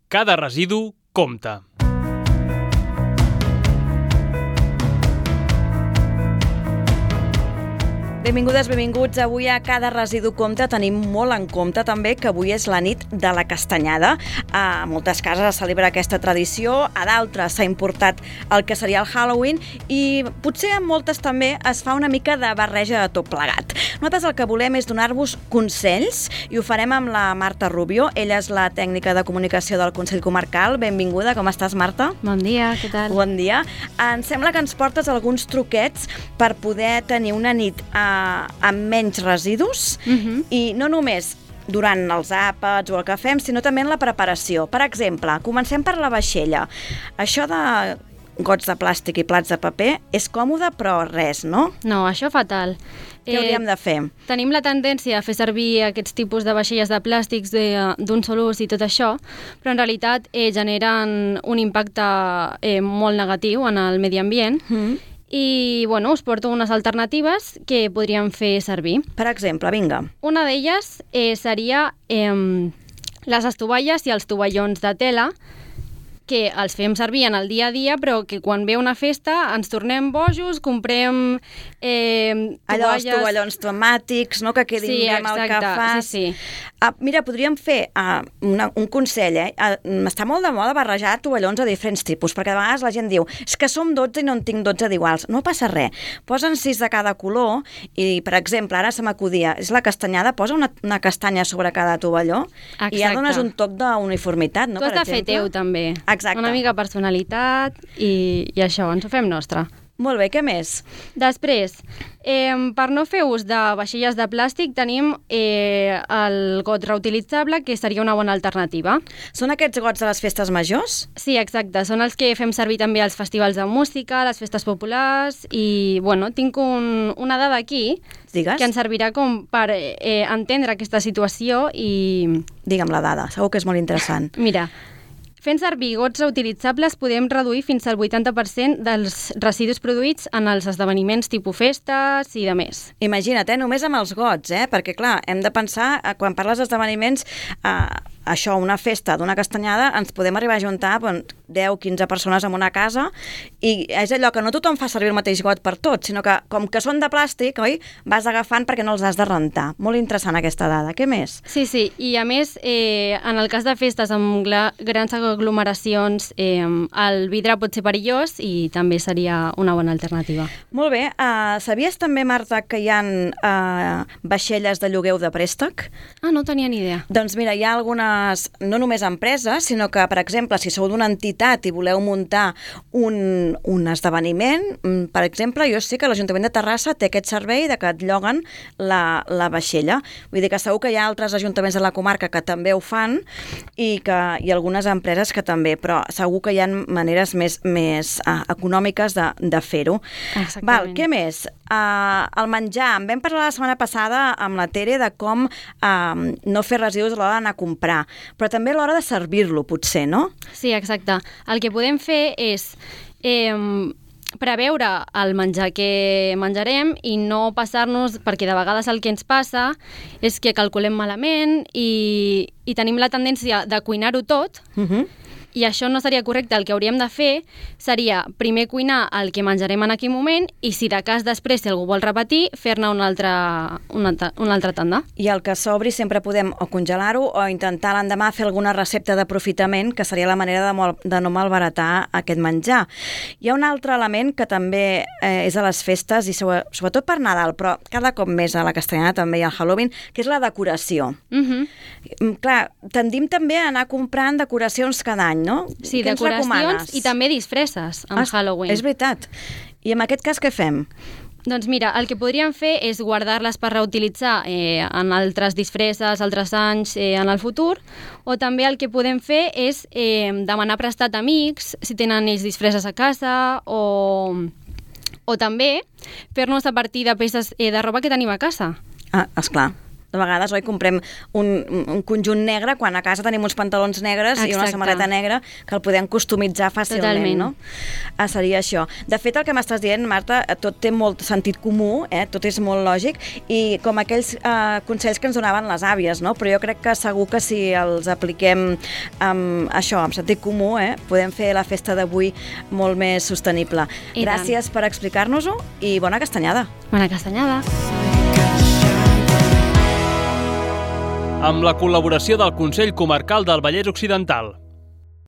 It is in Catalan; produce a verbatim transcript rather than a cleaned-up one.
Cada residu compta. Benvingudes, benvinguts. Avui a Cada residu compta tenim molt en compte també que avui és la nit de la castanyada. A moltes cases es celebra aquesta tradició, a d'altres s'ha importat el que seria el Halloween i potser en moltes també es fa una mica de barreja de tot plegat. Nosaltres el que volem és donar-vos consells i ho farem amb la Marta Rubio. Ella és la tècnica de comunicació del Consell Comarcal. Benvinguda, com estàs, Marta? Bon dia, què tal? Bon dia. Em sembla que ens portes alguns truquets per poder tenir una nit a amb menys residus Uh-huh. i no només durant els àpats o el que fem, sinó també en la preparació. Per exemple, comencem per la vaixella. Això de gots de plàstic i plats de paper és còmode, però res, no? No, això fatal. Què hauríem de fer? Tenim la tendència a fer servir aquests tipus de vaixelles de plàstics de- d'un sol ús i tot això, però en realitat eh, generen un impacte eh, molt negatiu en el medi ambient. Mm. I, bueno, us porto unes alternatives que podríem fer servir. Per exemple, vinga. Una d'elles eh, seria eh, les estovalles i els tovallons de tela, que els fem servir en el dia a dia, però que quan ve una festa ens tornem bojos, comprem eh, Allò, els tovalles... tovallons temàtics, no? Que quedin Sí, bé amb el que exacte, fas. sí, sí. Ah, mira, podríem fer ah, una, un consell, eh? Ah, està molt de moda barrejar tovallons de diferents tipus, perquè de vegades la gent diu és que som dotze i no en tinc dotze d'iguals. No passa res. Posen sis de cada color i, per exemple, ara se m'acudia, és la castanyada, posa una, una castanya sobre cada tovalló i ja Exacte. dones un toc d'uniformitat, no? Tu has Per de fer exemple. teu, també. Exacte. Una mica personalitat i, i això, ens ho fem nostre. Molt bé, què més? Després, eh, per no fer ús de vaixelles de plàstic, tenim eh, el got reutilitzable, que seria una bona alternativa. Són aquests gots de les festes majors? Sí, exacte. Són els que fem servir també als festivals de música, a les festes populars i, bueno, tinc un, una dada aquí Digues. que ens servirà com per eh, entendre aquesta situació i... Digue'm la dada, segur que és molt interessant. Mira, fent servir gots reutilitzables podem reduir fins al vuitanta per cent dels residus produïts en els esdeveniments tipus festes i de més. Imagina't, eh? Només amb els gots, eh? Perquè, clar, hem de pensar, eh, quan parles d'esdeveniments, eh, això, una festa d'una castanyada, ens podem arribar a juntar bon, deu quinze persones en una casa i és allò que no tothom fa servir el mateix got per tot, sinó que, com que són de plàstic, oi? Vas agafant perquè no els has de rentar. Molt interessant aquesta dada. Què més? Sí, sí, i a més, eh, en el cas de festes amb gla- grans aglomeracions, eh, el vidre pot ser perillós i també seria una bona alternativa. Molt bé. Uh, sabies també, Marta, que hi ha uh, vaixelles de llogueu de préstec? Ah, no tenia ni idea. Doncs mira, hi ha algunes, no només empreses, sinó que, per exemple, si sou d'una entitat i voleu muntar un, un esdeveniment, mm, per exemple, jo sé que l'Ajuntament de Terrassa té aquest servei de que et lloguen la, la vaixella. Vull dir que segur que hi ha altres ajuntaments de la comarca que també ho fan i, que, i algunes empreses que també, però segur que hi ha maneres més, més uh, econòmiques de, de fer-ho. Exactament. Val, què més? Uh, el menjar. En vam parlar la setmana passada amb la Tere de com uh, no fer residus a l'hora d'anar a comprar, però també a l'hora de servir-lo, potser, no? Sí, exacte. El que podem fer és eh, preveure el menjar que menjarem i no passar-nos, perquè de vegades el que ens passa és que calculem malament i, i tenim la tendència de cuinar-ho tot, Uh-huh. i això no seria correcte. El que hauríem de fer seria primer cuinar el que menjarem en aquell moment i, si de cas després, si algú vol repetir, fer-ne una altra, una, altra- una altra tanda. I el que sobri sempre podem o congelar-ho o intentar l'endemà fer alguna recepta d'aprofitament, que seria la manera de, mol, de no malbaratar aquest menjar. Hi ha un altre element que també eh, és a les festes, i sobre- sobretot per Nadal, però cada cop més a la castanyada també i al Halloween, que és la decoració. Mhm. Mm, Clar, tendim també a anar comprant decoracions cada any, no? Sí, Què ens decoracions recomanes? i també disfresses amb Ah, Halloween. És veritat. I en aquest cas què fem? Doncs mira, el que podríem fer és guardar-les per reutilitzar eh, en altres disfresses, altres anys, eh, en el futur, o també el que podem fer és eh, demanar prestat a amics, si tenen ells disfresses a casa, o, o també fer-nos a partir de peces eh, de roba que tenim a casa. Ah, esclar. de vegades, oi, comprem un, un conjunt negre quan a casa tenim uns pantalons negres Exacte. I una samarreta negra que el podem customitzar fàcilment, Totalment. no? Ah, seria això. De fet, el que m'estàs dient, Marta, tot té molt sentit comú, eh? Tot és molt lògic, i com aquells eh, consells que ens donaven les àvies, no? Però jo crec que segur que si els apliquem amb això, amb sentit comú, eh? Podem fer la festa d'avui molt més sostenible. I Gràcies tant. per explicar-nos-ho i bona castanyada. Bona castanyada. Amb la col·laboració del Consell Comarcal del Vallès Occidental.